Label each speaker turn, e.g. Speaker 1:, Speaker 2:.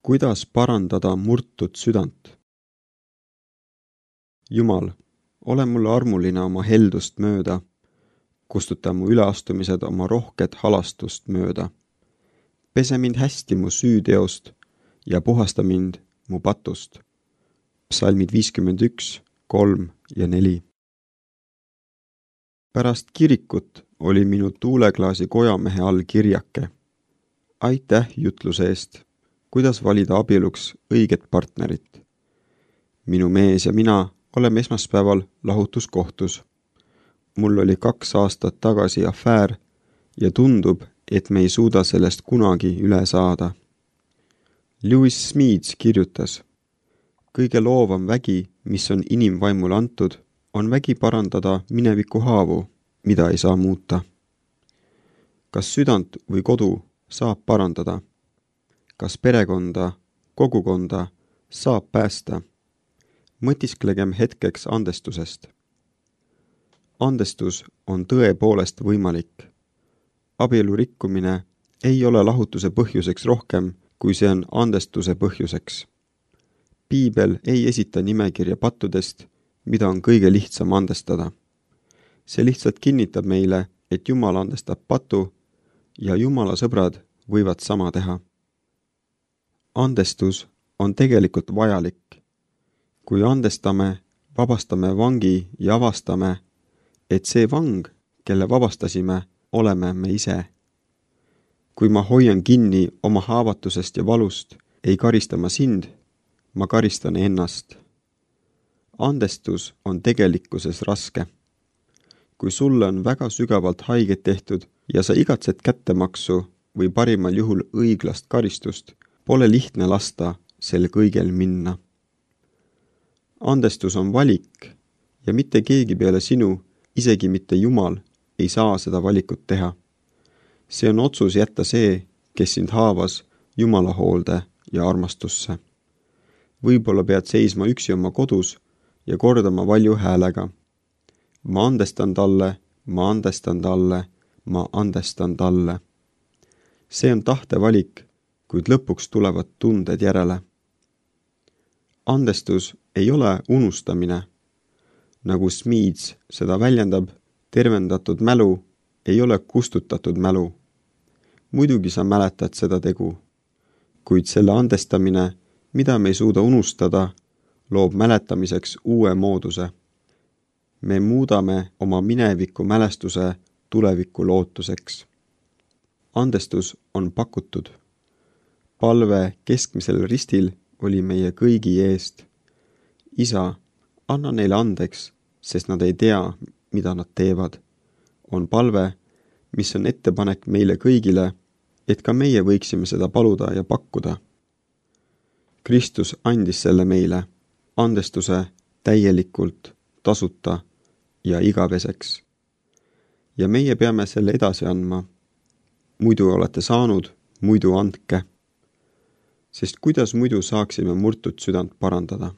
Speaker 1: Kuidas parandada murtud südant? Jumal, ole mulle armuline oma heldust mööda, kustuta mu üleastumised oma rohket halastust mööda. Pese mind hästi mu süüteost ja puhasta mind mu patust. Psalmid 51, 3 ja 4. Pärast kirikut oli minu tuuleklaasi kojamehe all kirjake. Aitäh jutluse eest, kuidas valida abieluks õiget partnerit. Minu mees ja mina oleme esmaspäeval lahutuskohtus. Mul oli 2 aastat tagasi afäär ja tundub, et me ei suuda sellest kunagi üle saada. Lewis Smedes kirjutas, kõige loovam vägi, mis on inimvaimule antud, on vägi parandada mineviku haavu, mida ei saa muuta. Kas südant või kodu saab parandada? Kas perekonda, kogukonda saab päästa? Mõtisklegem hetkeks andestusest. Andestus on tõepoolest võimalik. Abielu rikkumine ei ole lahutuse põhjuseks rohkem, kui see on andestuse põhjuseks. Piibel ei esita nimekirja pattudest, mida on kõige lihtsam andestada. See lihtsalt kinnitab meile, et Jumal andestab patu ja Jumala sõbrad võivad sama teha. Andestus on tegelikult vajalik. Kui andestame, vabastame vangi ja avastame, et see vang, kelle vabastasime, oleme me ise. Kui ma hoian kinni oma haavatusest ja valust, ei karista ma sind, ma karistan ennast. Andestus on tegelikkuses raske. Kui sulle on väga sügavalt haiget tehtud ja sa igatsed kättemaksu või parimal juhul õiglast karistust, pole lihtne lasta sel kõigel minna. Andestus on valik ja mitte keegi peale sinu, isegi mitte Jumal, ei saa seda valikut teha. See on otsus jätta see, kes sind haavas, Jumala hoolde ja armastusse. Võib-olla pead seisma üksi oma kodus ja kordama valju häälega. Ma andestan talle, ma andestan talle, ma andestan talle. See on tahtevalik, kuid lõpuks tulevad tunded järele. Andestus ei ole unustamine. Nagu Smedes seda väljendab, tervendatud mälu ei ole kustutatud mälu. Muidugi sa mäletad seda tegu, kuid selle andestamine, mida me ei suuda unustada, loob mäletamiseks uue mooduse. Me muudame oma mineviku mälestuse tuleviku lootuseks. Andestus on pakutud. Palve keskmisel ristil oli meie kõigi eest. Isa, anna neile andeks, sest nad ei tea, mida nad teevad. On palve, mis on ettepanek meile kõigile, et ka meie võiksime seda paluda ja pakkuda. Kristus andis selle meile, andestuse täielikult, tasuta ja igaveseks. Ja meie peame selle edasi andma. Muidu olete saanud, muidu andke. Sest kuidas muidu saaksime murtud südant parandada?